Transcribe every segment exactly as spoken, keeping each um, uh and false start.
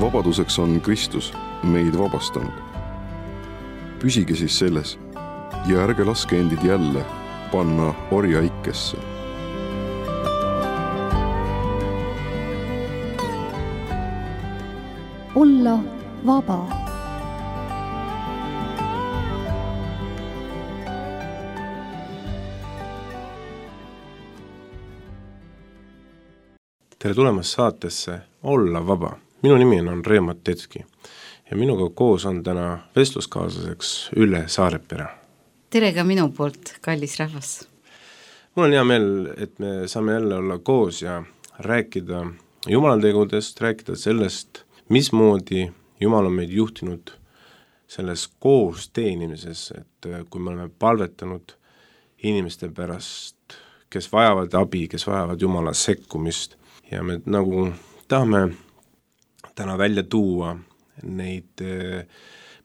vabaduseks on Kristus meid vabastanud. Püsige siis selles ja ärge laske endid jälle panna orjaikesse. Olla vaba. Tere tulemast saatesse Olla vaba. Minu nimi on Reemat Tetski ja minuga koos on täna vestluskaaslaseks Ülle Saarepere. Tere ka minu poolt, kallis rahvas. Mul on hea meel, et me saame jälle olla koos ja rääkida Jumala tegudest, rääkida sellest, mismoodi Jumal on meid juhtinud selles koos teenimises, et kui me oleme palvetanud inimeste pärast, kes vajavad abi, kes vajavad Jumala sekkumist ja me nagu tahame täna välja tuua neid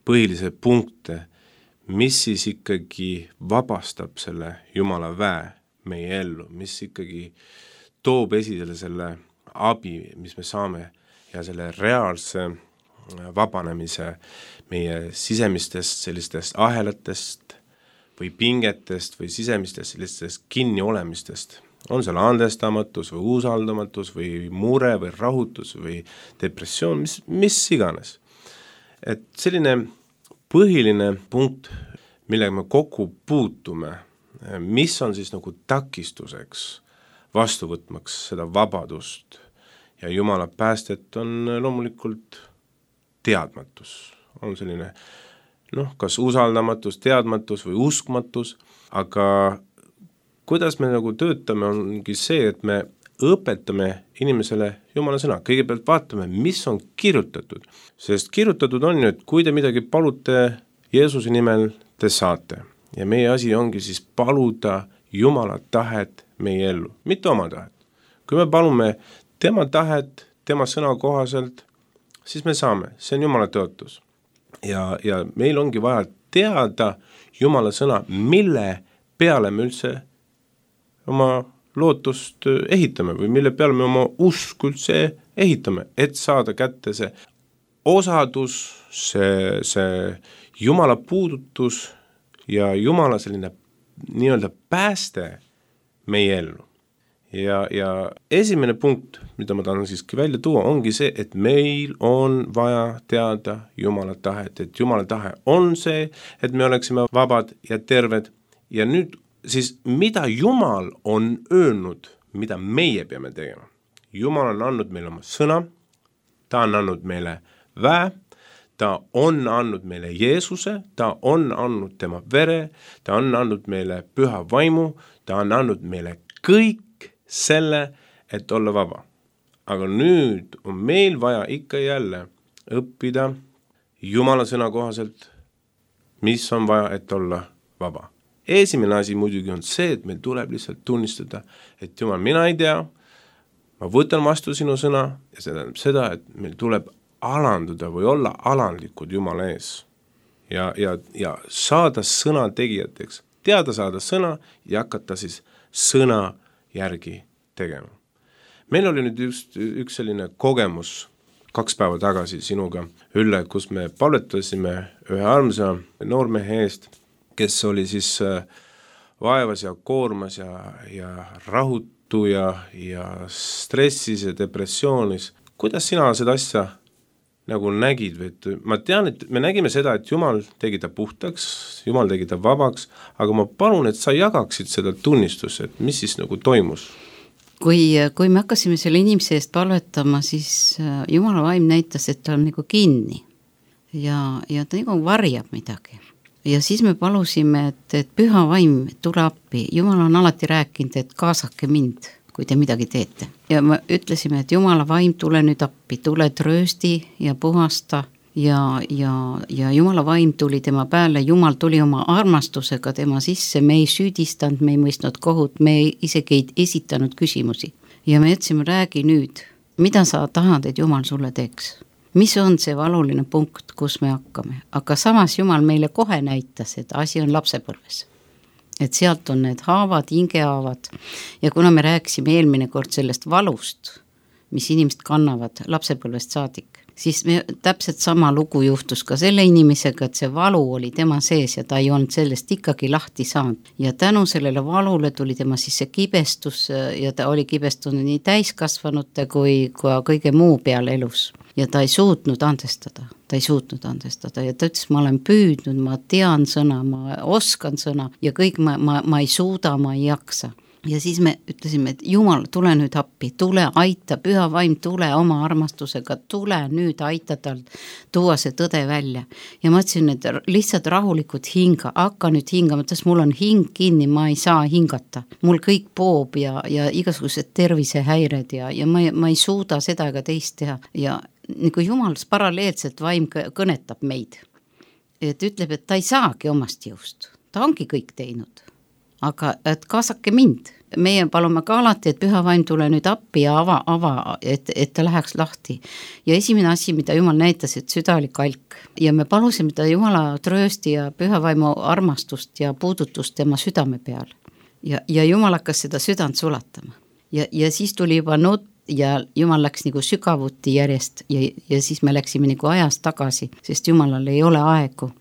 põhilisi punkte, mis siis ikkagi vabastab selle Jumala väe meie ellu, mis ikkagi toob esile selle abi, mis me saame ja selle reaalse vabanemise meie sisemistest sellistest ahelatest või pingetest või sisemistest sellistest kinniolemistest. On seal andestamatus või usaldamatus või mure või rahutus või depressioon, mis, mis iganes. Et selline põhiline punkt, millega me kokku puutume, mis on siis nagu takistuseks vastu võtmaks seda vabadust ja Jumala päästet, on loomulikult teadmatus. On selline, noh, kas usaldamatus, teadmatus või uskmatus, aga kuidas me nagu töötame, ongi see, et me õpetame inimesele Jumala sõna. Kõigepealt vaatame, mis on kirjutatud. Sest kirjutatud on ju, et kui te midagi palute Jeesuse nimel, te saate. Ja meie asi ongi siis paluda Jumala tahet meie ellu, mitte oma tahet. Kui me palume tema tahet, tema sõna kohaselt, siis me saame. See on Jumala tõotus. Ja, ja meil ongi vaja teada Jumala sõna, mille peale me üldse oma lootust ehitame või mille peale me oma usk üldse ehitame, et saada kätte see osadus, see, see Jumala puudutus ja Jumala selline nii-öelda pääste meie ellu. Ja, ja esimene punkt, mida ma tahan siiski välja tuua, ongi see, et meil on vaja teada Jumala tahet, et Jumala tahe on see, et me oleksime vabad ja terved ja nüüd siis mida Jumal on öelnud, mida meie peame tegema. Jumal on andnud meile oma sõna, ta on andnud meile väe, ta on andnud meile Jeesuse, ta on andnud tema vere, ta on andnud meile püha vaimu, ta on andnud meile kõik selle, et olla vaba. Aga nüüd on meil vaja ikka jälle õppida Jumala sõna kohaselt, mis on vaja, et olla vaba. Esimene asi muidugi on see, et meil tuleb lihtsalt tunnistada, et Jumal, mina ei tea, ma võtan vastu sinu sõna ja see tähendab seda, et meil tuleb alanduda või olla alandlikud Jumala ees ja, ja, ja saada sõna tegijateks, teada saada sõna ja hakata siis sõna järgi tegema. Meil oli nüüd just üks selline kogemus kaks päeva tagasi sinuga, Ülle, kus me palvetasime ühe armsa noormehe eest, kes oli siis vaevas ja koormas ja, ja rahutu ja, ja stressis ja depressioonis. Kuidas sina seda asja nagu nägid? Või ma tean, et me nägime seda, et Jumal tegi ta puhtaks, Jumal tegi ta vabaks, aga ma palun, et sa jagaksid seda tunnistust, et mis siis nagu toimus? Kui, kui me hakkasime selle inimese eest palvetama, siis Jumala vaim näitas, et ta on nagu kinni ja, ja ta nagu varjab midagi. Ja siis me palusime, et, et püha vaim tule appi. Jumal on alati rääkinud, et kaasake mind, kui te midagi teete. Ja me ütlesime, et Jumala vaim tule nüüd appi, tule tröösti ja puhasta ja, ja, ja Jumala vaim tuli tema pääle. Jumal tuli oma armastusega tema sisse, me ei süüdistanud, me ei mõistnud kohut, me ei, isegi ei esitanud küsimusi. Ja me jätsime, räägi nüüd, mida sa tahad, et Jumal sulle teeks? Mis on see valuline punkt, kus me hakkame? Aga samas Jumal meile kohe näitas, et asi on lapsepõlves. Et sealt on need haavad, hingehaavad. Ja kuna me rääkisime eelmine kord sellest valust, mis inimesed kannavad lapsepõlvest saadik, siis me, täpselt sama lugu juhtus ka selle inimesega, et see valu oli tema sees ja ta ei olnud sellest ikkagi lahti saanud. Ja tänu sellele valule tuli tema siis see kibestus ja ta oli kibestunud nii täiskasvanute kui ka kõige muu peal elus. Ja ta ei suutnud andestada, ta ei suutnud andestada ja ta ütles, ma olen püüdnud, ma tean sõna, ma oskan sõna ja kõik ma, ma, ma ei suuda, ma ei jaksa. Ja siis me ütlesime, et Jumal, tule nüüd appi, tule aita, püha vaim, tule oma armastusega, tule nüüd aita tal tuua see tõde välja. Ja ma ütlesin, et lihtsalt rahulikult hinga, hakka nüüd hingama, et mul on hing kinni, ma ei saa hingata. Mul kõik poob ja, ja igasugused tervisehäired ja, ja ma, ma ei suuda seda ega teist teha. Ja nagu Jumal paralleelselt vaim kõnetab meid. Et ütleb, et ta ei saagi omast jõust, ta ongi kõik teinud. Aga et kaasake mind. Meie palume ka alati, et püha vaim tule nüüd appi ja ava, ava et, et ta läheks lahti. Ja esimene asi, mida Jumal näitas, et süda oli kalk. Ja me palusime ta Jumala tröösti ja püha vaimu armastust ja puudutust tema südame peal. Ja, ja Jumal hakkas seda südant sulatama. Ja, ja siis tuli juba nutt ja Jumal läks nagu sügavuti järjest ja, ja siis me läksime nagu ajast tagasi, sest Jumalal ei ole aegu.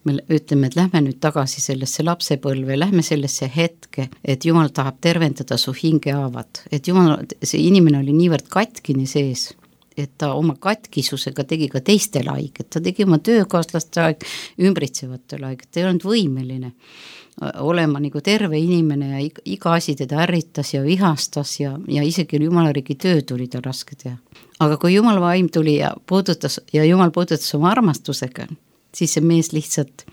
Me ütleme, et lähme nüüd tagasi sellesse lapsepõlve, lähme sellesse hetke, et Jumal tahab tervendada su hingehaavad, et Jumal, see inimene oli niivõrd katkini sees, et ta oma katkisusega tegi ka teistele haiget, ta tegi oma töökaaslaste haig, ümbritsevatele haiget, ta ei olnud võimeline olema nagu terve inimene ja iga asi teda ärritas ja vihastas ja, ja isegi Jumala riigi töö tuli ta raske teha. Aga kui Jumal vaim tuli ja puudutas ja Jumal puudutas oma armastusega, siis see mees lihtsalt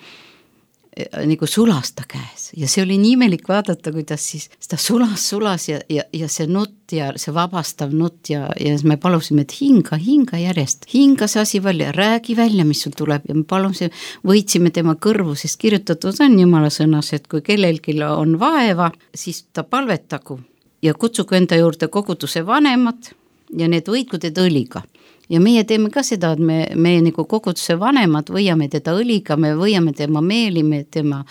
nagu sulas ta käes ja see oli nii imelik vaadata, kuidas siis seda sulas, sulas ja, ja, ja see nutt ja see vabastav nutt ja, ja me palusime, et hinga, hinga järjest, hinga see asi välja, räägi välja, mis sul tuleb ja me palusime, võitsime tema kõrvu, sest kirjutatud on Jumala sõnas, et kui kellelgi on vaeva, siis ta palvetagu ja kutsugu enda juurde koguduse vanemad ja need võitku teda õliga. Ja meie teeme ka seda, et me, me nagu koguduse vanemad võiame teda õliga, me võiame tema meeli, me tema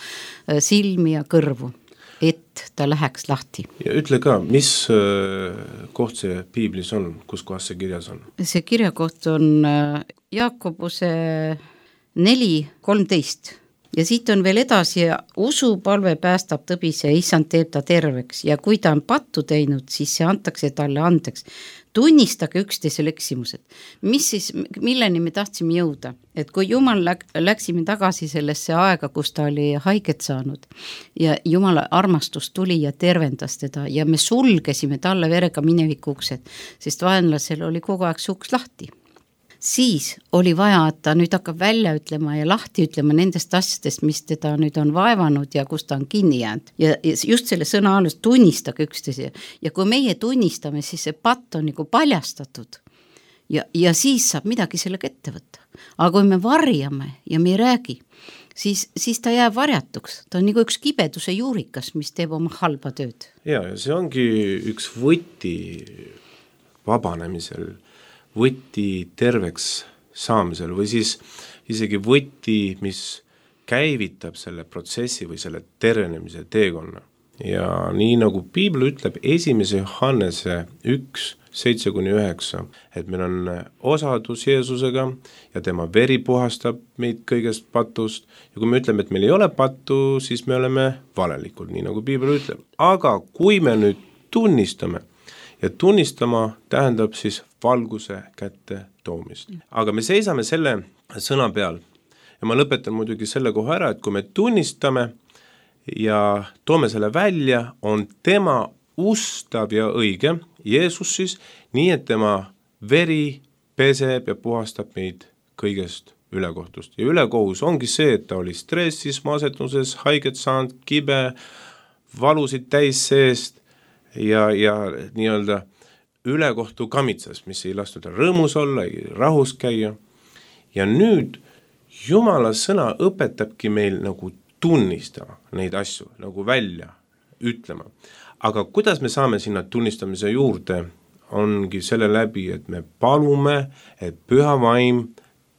silmi ja kõrvu, et ta läheks lahti. Ja ütle ka, mis koht see piiblis on, kus kohas see kirjas on? See kirjakoht on Jaakobuse neli kolmteist ja siit on veel edasi ja usu palve päästab tõbise ja issand teeb ta terveks ja kui ta on pattu teinud, siis see antakse talle andeks. Tunnistage üksteisel eksimused. Mis siis, milleni me tahtsime jõuda? Et kui Jumal läk, läksime tagasi sellesse aega, kus ta oli haiget saanud ja Jumala armastus tuli ja tervendas teda ja me sulgesime talle verega mineviku uksed, sest vaenlasel oli kogu aeg see uks lahti. Siis oli vaja, et ta nüüd hakkab välja ütlema ja lahti ütlema nendest asjadest, mis teda nüüd on vaevanud ja kus ta on kinni jäänud. Ja just selle sõna alles tunnistage üksteise. Ja kui meie tunnistame, siis see patt on nagu paljastatud. Ja, ja siis saab midagi sellega ette võtta. Aga kui me varjame ja me ei räägi, siis, siis ta jääb varjatuks. Ta on nagu üks kibeduse juurikas, mis teeb oma halba tööd. Ja, ja see ongi üks võti vabanemisel, võti terveks saamisel või siis isegi võti, mis käivitab selle protsessi või selle tervenemise teekonna. Ja nii nagu piibel ütleb esimese Johannese üks, seitse kuni üheksa, et meil on osadus Jeesusega ja tema veri puhastab meid kõigest patust ja kui me ütleme, et meil ei ole pattu, siis me oleme valelikud, nii nagu piibel ütleb. Aga kui me nüüd tunnistame, ja tunnistama tähendab siis valguse kätte toomist. Aga me seisame selle sõna peal ja ma lõpetan muidugi selle koha ära, et kui me tunnistame ja toome selle välja, on tema ustav ja õige, Jeesus siis, nii et tema veri peseb ja puhastab meid kõigest ülekohtust. Ja ülekohus ongi see, et ta oli stressis, masetuses, haiget saanud, kibe, valusid täis seest, ja, ja nii-öelda ülekohtu kamitsas, mis ei lastud rõõmus olla, ei rahus käia. Ja nüüd Jumala sõna õpetabki meil nagu tunnistama neid asju, nagu välja ütlema. Aga kuidas me saame sinna tunnistamise juurde, ongi selle läbi, et me palume, et püha vaim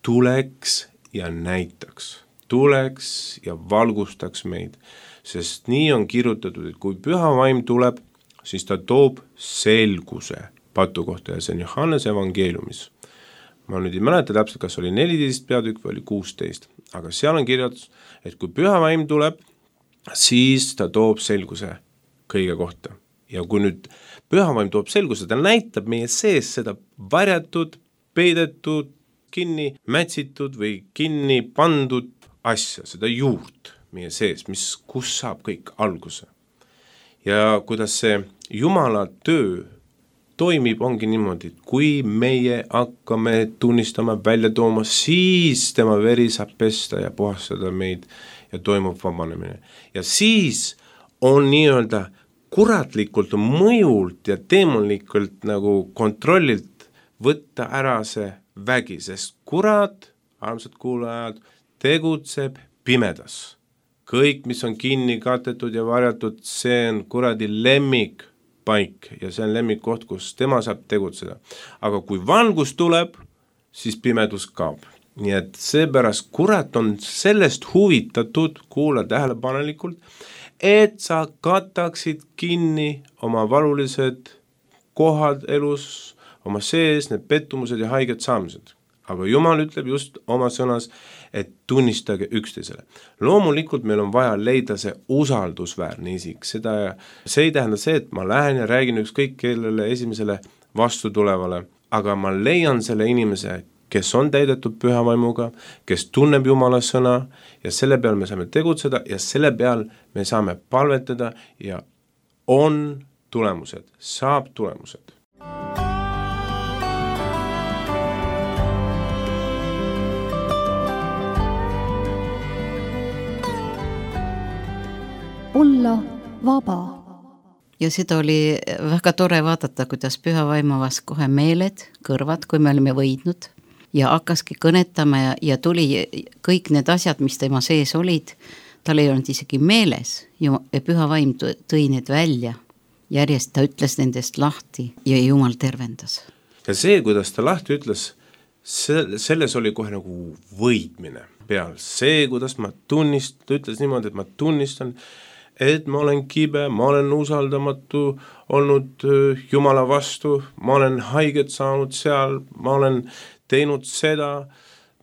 tuleks ja näitaks, tuleks ja valgustaks meid. Sest nii on kirjutatud, et kui püha vaim tuleb, siis ta toob selguse patu kohta ja see on Johannese evangeeliumis ma nüüd ei mäleta täpselt, kas oli neliteist peatükk või oli kuusteist, aga seal on kirjatus, et kui püha vaim tuleb, siis ta toob selguse kõige kohta. Ja kui nüüd püha vaim toob selguse, ta näitab meie sees seda varjatud, peidetud, kinni mätsitud või kinni pandud asja, seda juurt meie sees, mis, kus saab kõik alguse. Ja kuidas see Jumala töö toimib, ongi niimoodi, et kui meie hakkame tunnistama, välja tooma, siis tema veri saab pesta ja puhastada meid ja toimub vabanemine. Ja siis on nii-öelda kuratlikult mõjult ja teemonlikult nagu kontrollilt võtta ära see vägi, sest kurat, armsad kuulajad, tegutseb pimedas. Kõik, mis on kinni katetud ja varjatud, see on kuradi lemmik paik ja see on lemmikkoht, kus tema saab tegutseda. Aga kui valgus tuleb, siis pimedus kaob. Nii et seepärast kurat on sellest huvitatud, kuula tähelepanelikult, et sa kataksid kinni oma valulised kohad elus, oma sees, need pettumused ja haiged saamised. Aga Jumal ütleb just oma sõnas, et tunnistage üksteisele. Loomulikult meil on vaja leida see usaldusväärne isik. Seda, see ei tähenda see, et ma lähen ja räägin ükskõik kellele esimesele vastu tulevale, aga ma leian selle inimese, kes on täidetud püha vaimuga, kes tunneb Jumala sõna ja selle peal me saame tegutseda ja selle peal me saame palvetada ja on tulemused, saab tulemused. olla vaba. Ja seda oli väga tore vaadata, kuidas püha vaimu avas kohe meeled, kõrvad, kui me olime võidnud ja hakkaski kõnetama ja, ja tuli kõik need asjad, mis tema sees olid, tal ei olnud isegi meeles ja püha vaim tõi need välja. Järjest ta ütles nendest lahti ja Jumal tervendas. Ja see, kuidas ta lahti ütles, selles oli kohe nagu võitmine peal. See, kuidas ma tunnist, ta ütles niimoodi, et ma tunnistan, et ma olen kibe, ma olen usaldamatu olnud Jumala vastu, ma olen haiget saanud seal, ma olen teinud seda,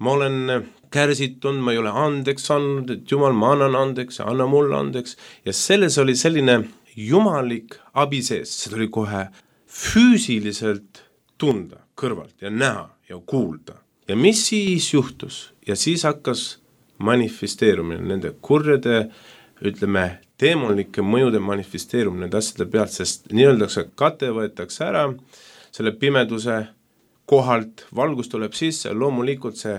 ma olen kärsitund, ma ei ole andeks andnud, et Jumal, ma annan andeks ja anna mulle andeks. Ja selles oli selline jumalik abi sees, see tuli kohe füüsiliselt tunda kõrvalt ja näha ja kuulda. Ja mis siis juhtus? Ja siis hakkas manifesteerumine, nende kurjade, ütleme, teemonlike mõjude manifesteerumine nende asjade pealt, sest nii-öeldakse kate võetakse ära, selle pimeduse kohalt valgus tuleb sisse, loomulikult see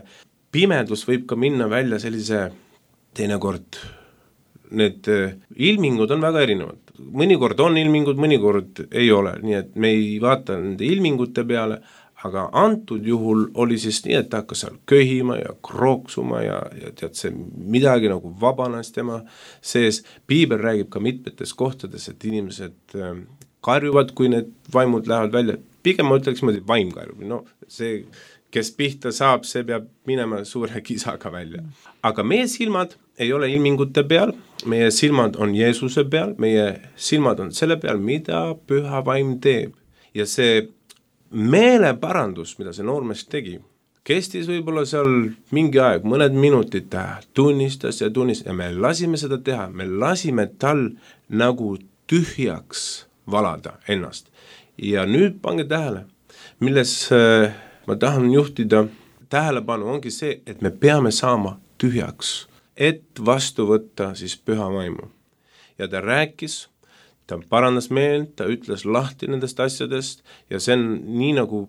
pimedus võib ka minna välja sellise teinekord, need ilmingud on väga erinevad. Mõnikord on ilmingud, mõnikord ei ole, nii et me ei vaata nende ilmingute peale, aga antud juhul oli siis nii, et ta hakkas seal köhima ja krooksuma ja, ja tead see midagi nagu vabanes tema sees. Piibel räägib ka mitmetes kohtades, et inimesed karjuvad, kui need vaimud lähevad välja. Pigem ma ütleks, et vaim karjub. No, see, kes pihta saab, see peab minema suure kisaga välja. Aga meie silmad ei ole ilmingute peal, meie silmad on Jeesuse peal, meie silmad on selle peal, mida püha vaim teeb. Ja see meeleparandus, mida see noormees tegi, kestis võib-olla seal mingi aeg, mõned minutid ta tunnistas ja tunnistas ja me lasime seda teha, me lasime tal nagu tühjaks valada ennast. Ja nüüd pange tähele, milles äh, ma tahan juhtida tähelepanu ongi see, et me peame saama tühjaks, et vastu võtta siis püha vaimu. Ja ta rääkis, ta parandas meelt, ta ütles lahti nendest asjadest ja see on nii nagu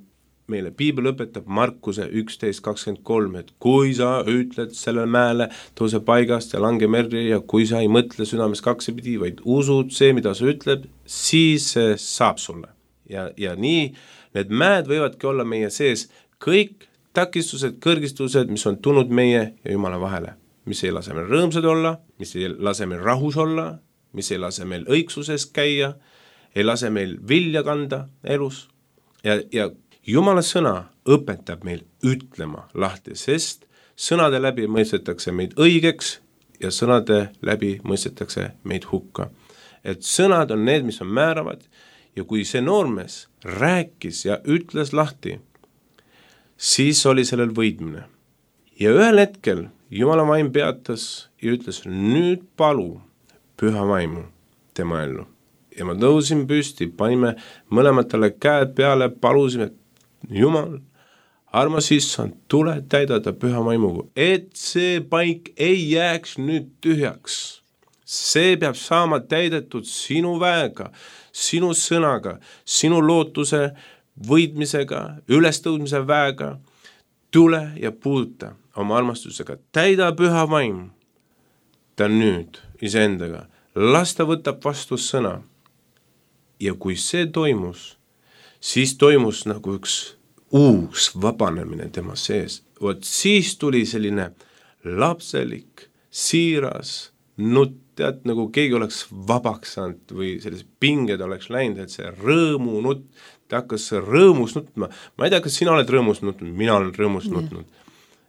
meile piibel õpetab Markuse üksteist kakskümmend kolm, et kui sa ütled selle mäele, tõuse paigast ja lange merri ja kui sa ei mõtle südames kaksipidi, vaid usud see, mida sa ütled, siis see saab sulle. Ja, ja nii need mäed võivadki olla meie sees kõik takistused, kõrgistused, mis on tulnud meie ja Jumala vahele, mis ei lase meil rõõmsad olla, mis ei lase meil rahus olla, mis ei lase meil õigsuses käia, ei lase meil vilja kanda elus ja, ja Jumala sõna õpetab meil ütlema lahti, sest sõnade läbi mõistetakse meid õigeks ja sõnade läbi mõistetakse meid hukka. Et sõnad on need, mis on määravad ja kui see noormees rääkis ja ütles lahti, siis oli sellel võidmine. Ja ühel hetkel Jumala vaim peatas ja ütles, nüüd palu püha vaimu tema ellu. Ja ma tõusin püsti, panime mõlematele käed peale, palusime, et Jumal, armas issand, tule täidada püha vaimuga, et see paik ei jääks nüüd tühjaks. See peab saama täidetud sinu väega, sinu sõnaga, sinu lootuse võitmisega, ülestõudmise väega. Tule ja puuduta oma armastusega, täida püha vaim ta nüüd iseendaga, las ta võtab vastu sõna. Ja kui see toimus, siis toimus nagu üks uus vabanemine tema sees. Vot siis tuli selline lapselik, siiras nutt, tead, nagu keegi oleks vabaks saanud või sellised pinged oleks läinud, et see rõõmu nutt, ta hakkas rõõmus nutma. Ma ei tea, kas sina oled rõõmus nutnud, mina olen rõõmus yeah. nutnud.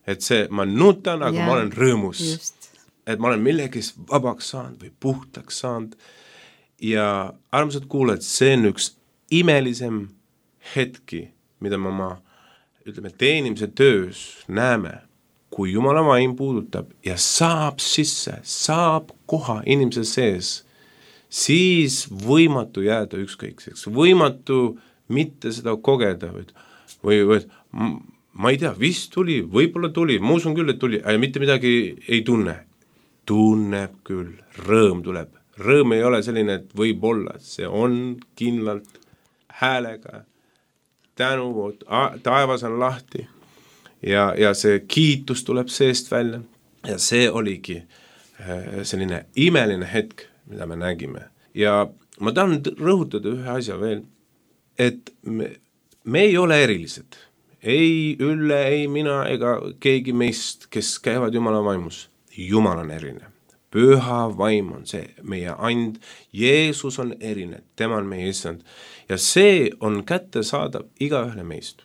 Et see, ma nutan, aga yeah. ma olen rõõmus. Just. Et ma olen millegist vabaks saanud või puhtaks saanud. Ja armsad kuulajad, see on üks imelisem hetki, mida me oma, ütleme, teenimise töös näeme, kui Jumala vaim puudutab ja saab sisse, saab koha inimese sees, siis võimatu jääda ükskõikseks, võimatu mitte seda kogeda või, või, või ma ei tea, vist tuli, võib-olla tuli, ma usun küll, et tuli, aga mitte midagi ei tunne. Tunneb küll, rõõm tuleb. Rõõm ei ole selline, et võib olla, see on kindlalt häälega, tänu, taevas on lahti. Ja, ja see kiitus tuleb seest välja ja see oligi selline imeline hetk, mida me nägime. Ja ma tahan rõhutada ühe asja veel, et me, me ei ole erilised. Ei Ülle, ei mina ega keegi meist, kes käivad Jumala vaimus. Jumal on eriline. Püha vaim on see meie and. Jeesus on eriline, tema on meie issand. Ja see on kättesaadav igaühele meist.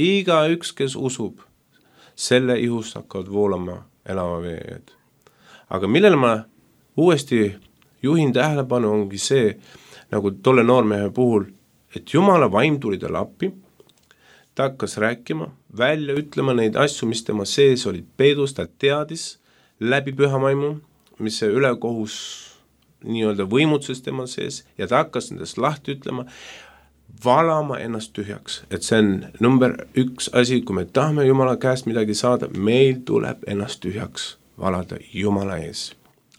Iga üks, kes usub, selle ihust hakkavad voolama elava veed. Aga millele ma uuesti juhin tähelepanu ongi see, nagu tolle noormehe puhul, et Jumala vaim tuli talle appi, ta hakkas rääkima, välja ütlema neid asju, mis tema sees olid peedus, ta teadis läbi püha vaimu, mis see ülekohus nii-öelda võimutses tema sees ja ta hakkas nendest lahti ütlema, valama ennast tühjaks, et see on number üks asi, kui me tahame Jumala käest midagi saada, meil tuleb ennast tühjaks valada Jumala ees.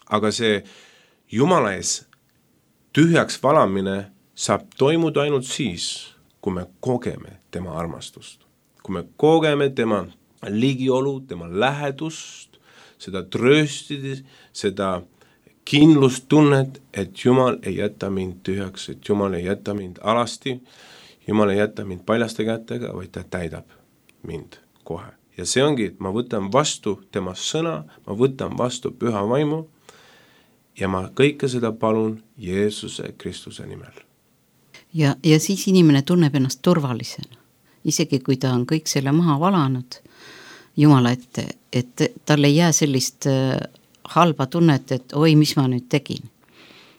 Aga see Jumala ees tühjaks valamine saab toimuda ainult siis, kui me kogeme tema armastust. Kui me kogeme tema ligiolu, tema lähedust, seda trööstidi, seda kindlustunnet, et Jumal ei jäta mind tühjaks, et Jumal ei jäta mind alasti, Jumal ei jäta mind paljaste kätega, vaid ta täidab mind kohe. Ja see ongi, et ma võtan vastu tema sõna, ma võtan vastu püha vaimu ja ma kõike seda palun Jeesuse Kristuse nimel. Ja, ja siis inimene tunneb ennast turvalisena, isegi kui ta on kõik selle maha valanud Jumala ette, et tal ei jää sellist halba tunnet, et oi, mis ma nüüd tegin.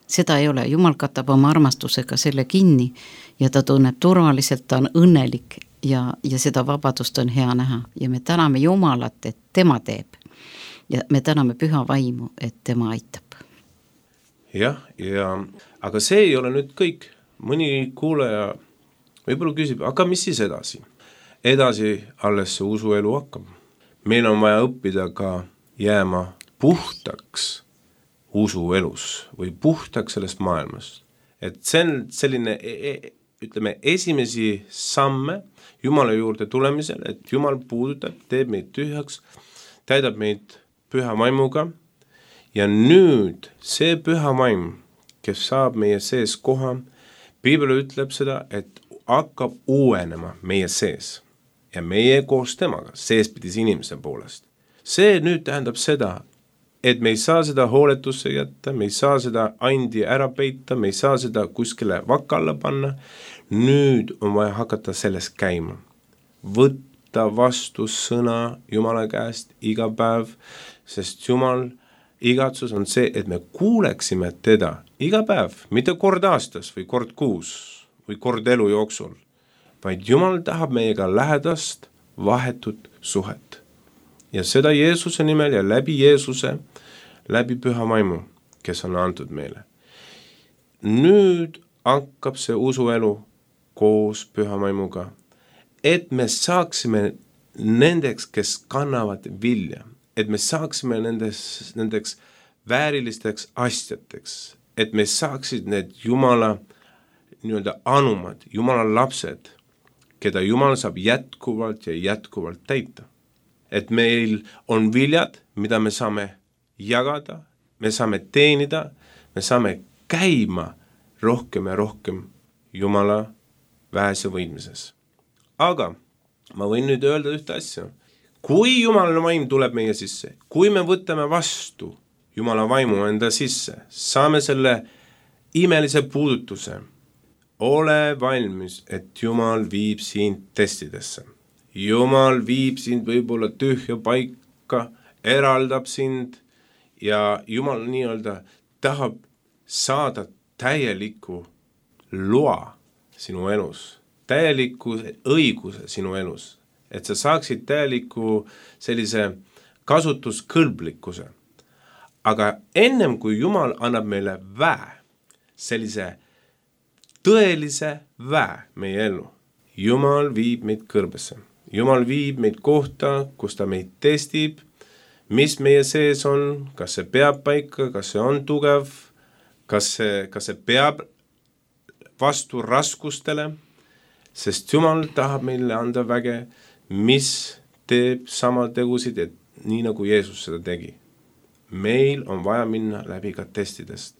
Seda ei ole, Jumal katab oma armastusega selle kinni ja ta tunneb turvaliselt, ta on õnnelik ja, ja seda vabadust on hea näha. Ja me täname Jumalat, et tema teeb. Ja me täname püha vaimu, et tema aitab. Jah, ja, aga see ei ole nüüd kõik. Mõni kuulaja võib-olla küsib, aga mis siis edasi? Edasi alles see usuelu hakkab. Meil on vaja õppida ka jääma puhtaks usuelus või puhtaks sellest maailmast. Et see on selline, ütleme, esimesi samme Jumala juurde tulemisel, et Jumal puudutab, teeb meid tühjaks, täidab meid püha vaimuga ja nüüd see püha vaim, kes saab meie sees koha, Piibel ütleb seda, et hakkab uuenema meie sees ja meie koos temaga, seespidis inimese poolest. See nüüd tähendab seda, et me ei saa seda hooletusse jätta, me ei saa seda andi ära peita, me ei saa seda kuskile vakka alla panna. Nüüd on vaja hakata sellest käima. Võtta vastu sõna Jumala käest iga päev, sest Jumal igatsus on see, et me kuuleksime teda iga päev, mitte kord aastas või kord kuus või kord elu jooksul, vaid Jumal tahab meiega lähedast, vahetut suhet. Ja seda Jeesuse nimel ja läbi Jeesuse, läbi püha vaimu, kes on antud meile. Nüüd hakkab see usuelu koos püha vaimuga, et me saaksime nendeks, kes kannavad vilja, et me saaksime nendes, nendeks väärilisteks asjateks, et me saaksid need Jumala nii-öelda anumad, Jumala lapsed, keda Jumal saab jätkuvalt ja jätkuvalt täita. Et meil on viljad, mida me saame jagada, me saame teenida, me saame käima rohkem ja rohkem Jumala vähese võidmises. Aga ma võin nüüd öelda ühte asja. Kui Jumala vaim tuleb meie sisse, kui me võtame vastu Jumala vaimu enda sisse, saame selle imelise puudutuse, ole valmis, et Jumal viib sind testidesse. Jumal viib sind võib-olla tühja paika, eraldab sind ja Jumal nii-öelda tahab saada täieliku loa sinu elus, täieliku õiguse sinu elus, et sa saaksid täieliku sellise kasutuskõlblikkuse. Aga ennem kui Jumal annab meile väe, sellise tõelise väe meie ellu, Jumal viib meid kõrbesse. Jumal viib meid kohta, kus ta meid testib, mis meie sees on, kas see peab paika, kas see on tugev, kas see, kas see peab vastu raskustele, sest Jumal tahab meile anda väge, mis teeb sama tegusid, et nii nagu Jeesus seda tegi. Meil on vaja minna läbi ka testidest.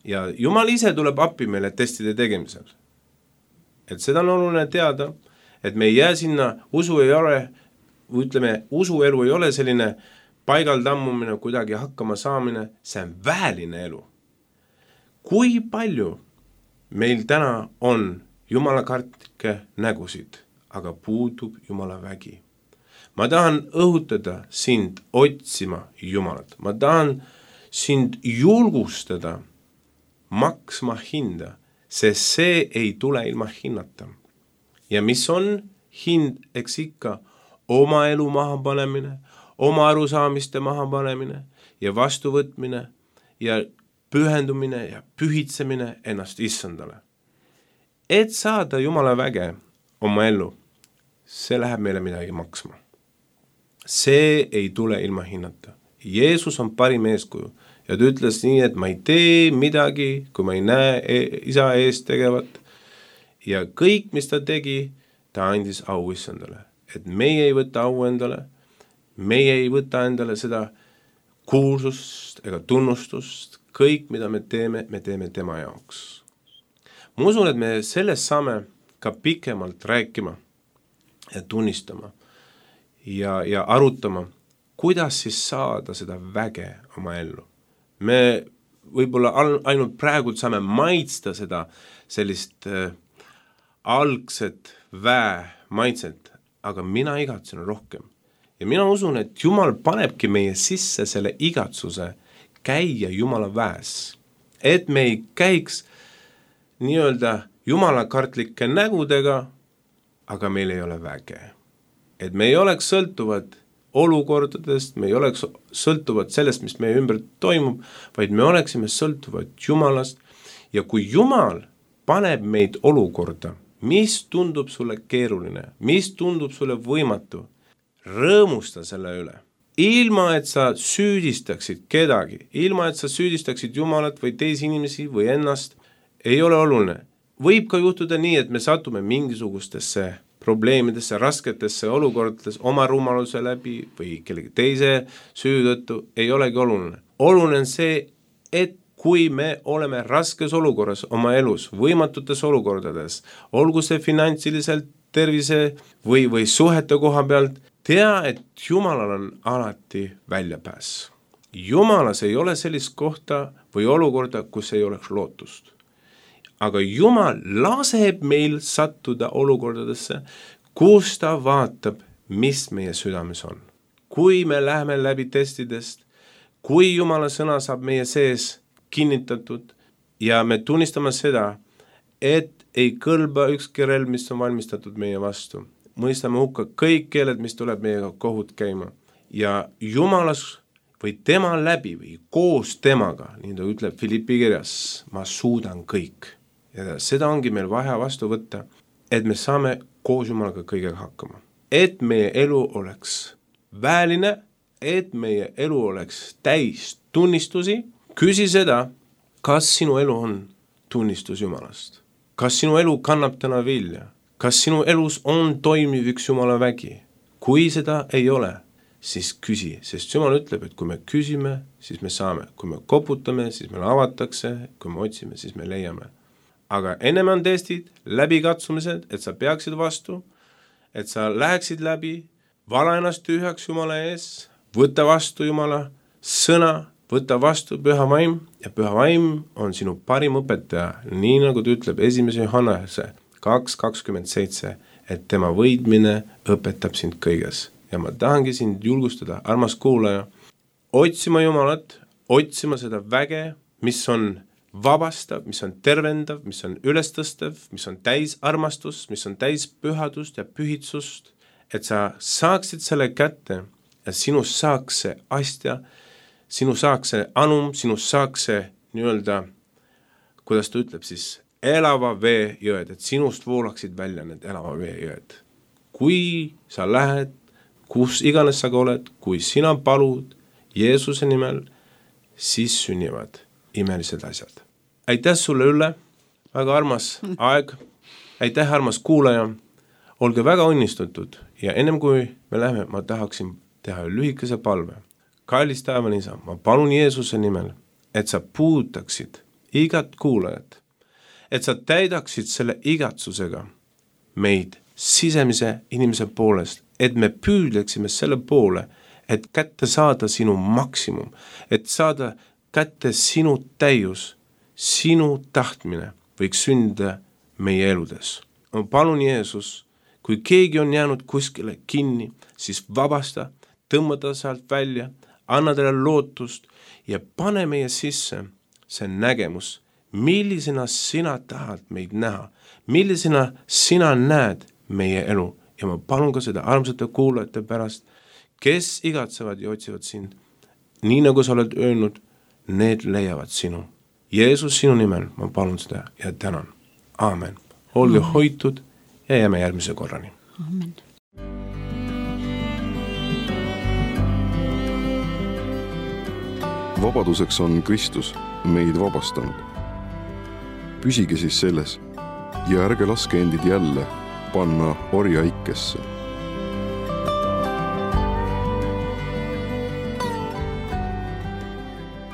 Ja Jumal ise tuleb appi meile testide tegemisel. Et seda on oluline teada, et me ei jää sinna, usu ei ole, ütleme, usuelu ei ole selline paigal tammumine, kuidagi hakkama saamine, see on väeline elu. Kui palju meil täna on Jumala kartlikke nägusid, aga puudub Jumala vägi. Ma tahan õhutada sind otsima Jumalat. Ma tahan sind julgustada maksma hinda, sest see ei tule ilma hinnata. Ja mis on hind, eks ikka oma elu maha panemine, oma arusaamiste maha panemine ja vastuvõtmine ja pühendumine ja pühitsemine ennast issandale. Et saada Jumala väge oma ellu, see läheb meile midagi maksma. See ei tule ilma hinnata. Jeesus on parim eeskuju ja ta ütles nii, et ma ei tee midagi, kui ma ei näe isa eest tegevat. Ja kõik, mis ta tegi, ta andis au issandale. Et meie ei võta au endale, meie ei võta endale seda kuulsust ega tunnustust, kõik, mida me teeme, me teeme tema jaoks. Ma usun, et me sellest saame ka pikemalt rääkima ja tunnistama ja, ja arutama, kuidas siis saada seda väge oma ellu. Me võib-olla ainult praegu saame maitsta seda sellist äh, algset väe maitset, aga mina igatsen rohkem. Ja mina usun, et Jumal panebki meie sisse selle igatsuse käia Jumala väes. Et me ei käiks nii-öelda Jumala kartlike nägudega, aga meil ei ole väge. Et me ei oleks sõltuvad olukordadest, me ei oleks sõltuvad sellest, mis meie ümber toimub, vaid me oleksime sõltuvad Jumalast. Ja kui Jumal paneb meid olukorda, mis tundub sulle keeruline, mis tundub sulle võimatu, rõõmusta selle üle. Ilma, et sa süüdistaksid kedagi, ilma, et sa süüdistaksid Jumalat või teisi inimesi või ennast, ei ole oluline. Võib ka juhtuda nii, et me satume mingisugustesse probleemidesse, rasketesse olukordades oma rumaluse läbi või kellegi teise süü tõttu, ei olegi oluline. Oluline on see, et kui me oleme raskes olukorras oma elus, võimatutes olukordades, olgu see finantsiliselt, tervise või, või suhete koha pealt, tea, et Jumalal on alati väljapääs. Jumalas ei ole sellist kohta või olukorda, kus ei oleks lootust. Aga Jumal laseb meil sattuda olukordadesse, kus ta vaatab, mis meie südames on. Kui me läheme läbi testidest, kui Jumala sõna saab meie sees kinnitatud ja me tunnistame seda, et ei kõlba ükski relv, mis on valmistatud meie vastu. mõistame hukka kõik keeled, mis tuleb meiega kohut käima ja Jumalas või tema läbi või koos temaga, nii ta ütleb Filippi kirjas, ma suudan kõik. Ja seda ongi meil vaja vastu võtta, et me saame koos Jumalaga kõigega hakkama. Et meie elu oleks väeline, et meie elu oleks täis tunnistusi, küsi seda, kas sinu elu on tunnistus Jumalast. Kas sinu elu kannab täna vilja? Kas sinu elus on toimiv üks Jumala vägi? Kui seda ei ole, siis küsi, sest Jumal ütleb, et kui me küsime, siis me saame. Kui me koputame, siis meil avatakse, kui me otsime, siis me leiame. Aga ennem on testid, läbikatsumised, et sa peaksid vastu, et sa läheksid läbi, vala ennast tühjaks Jumala ees, võta vastu Jumala sõna, võta vastu püha vaim ja püha vaim on sinu parim õpetaja, nii nagu ta ütleb esimese Johannese kaks kakskümmend seitse, et tema võidmine õpetab sind kõiges. Ja ma tahangi sind julgustada, armas kuulaja, otsima Jumalat, otsima seda väge, mis on vabastav, mis on tervendav, mis on ülestõstev, mis on täis armastus, mis on täis pühadust ja pühitsust, et sa saaksid selle kätte ja sinu saaks see astja, sinu saaks see anum, sinu saaks see nii-öelda, kuidas ta ütleb siis, elava vee jõed, et sinust voolaksid välja need elava vee jõed. Kui sa lähed, kus iganes sa ka oled, kui sina palud Jeesuse nimel, siis sünnivad imelised asjad. Aitäh sulle, Ülle, väga armas aeg, aitäh armas kuulaja, olge väga õnnistatud ja ennem kui me lähme, ma tahaksin teha lühikese palve. Kallis taevane isa, ma palun Jeesuse nimel, et sa puudutaksid igat kuulajat, et sa täidaksid selle igatsusega meid sisemise inimese poolest, et me püüdleksime selle poole, et kätte saada sinu maksimum, et saada kätte sinu täius, sinu tahtmine võiks sündida meie eludes. Ma palun Jeesus, kui keegi on jäänud kuskile kinni, siis vabasta, tõmmata sealt välja, anna talle lootust ja pane meie sisse see nägemus, millisena sina tahad meid näha, millisena sina näed meie elu ja ma palun ka seda armsate kuulajate pärast, kes igatsevad ja otsivad sind, nii nagu sa oled öelnud, need leiavad sinu. Jeesus, sinu nimel ma palun seda ja tänan. Aamen. Olge Amen. Hoitud ja jääme järgmise korrani. Amen. Vabaduseks on Kristus meid vabastanud. Püsige siis selles ja ärge laske endid jälle panna orja ikkesse.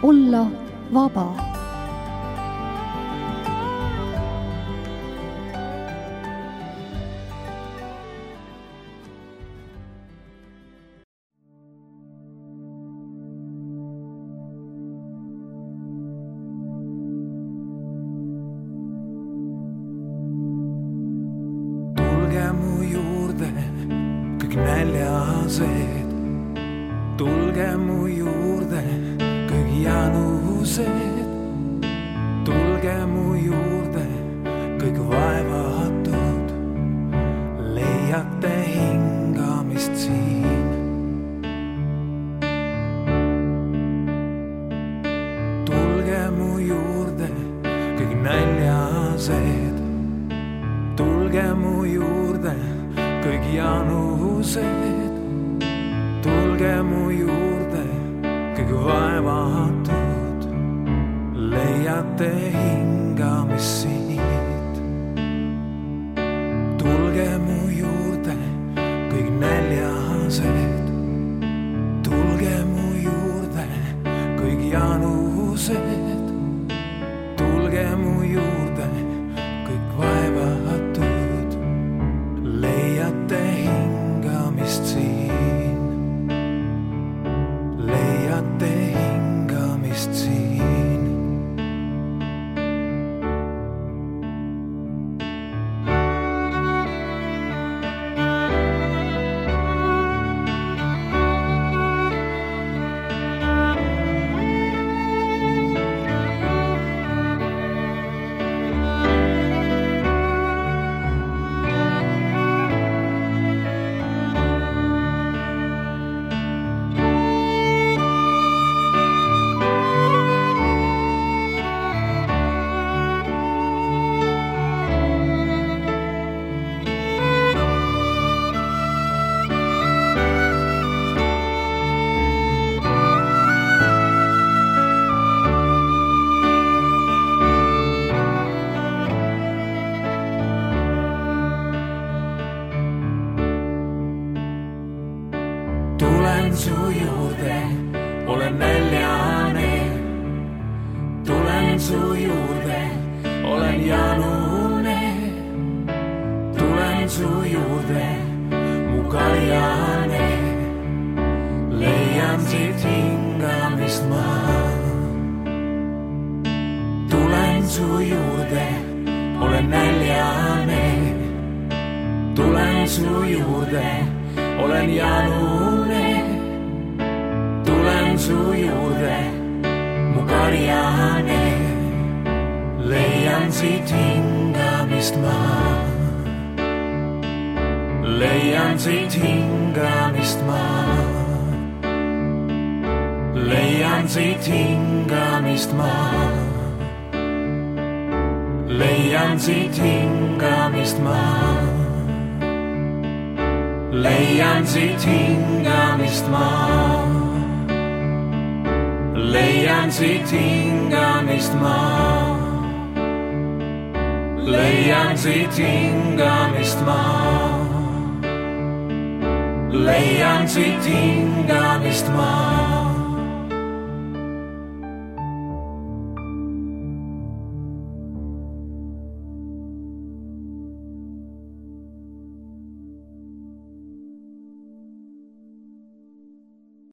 Olla vaba. Mu juurde kõik näljased, tulge mu juurde kõik janused, tulge mu juurde kõik vaevatud, leiate hingamist siin. Tulge mu juurde kõik näljased, tulge mu juurde kõik janused, tulge mu juurde kõik vaevatud, leiate hingamist siit. Tulge mu juurde kõik näljased, tulge mu juurde kõik janused, tulge mu juurde kõik vaevatud, leiate hingamist siin, leiate hingamist siin. su juurde, olen näljane. Tulen su juurde, olen janune. Tulen su juurde, mu kaljane. Leian siit hingamist ma. Tulen su juurde, olen näljane. Tulen su juurde, olen janune. Tulen su juurde, mu karjane. Leian siit hingamist ma. Leian siit hingamist ma. Leian siit hingamist ma. Leian siit hingamist ma. Leian siit hingamist ma. Leian siit hingamist ma. Leian siit hingamist ma. Leian siit hingamist ma.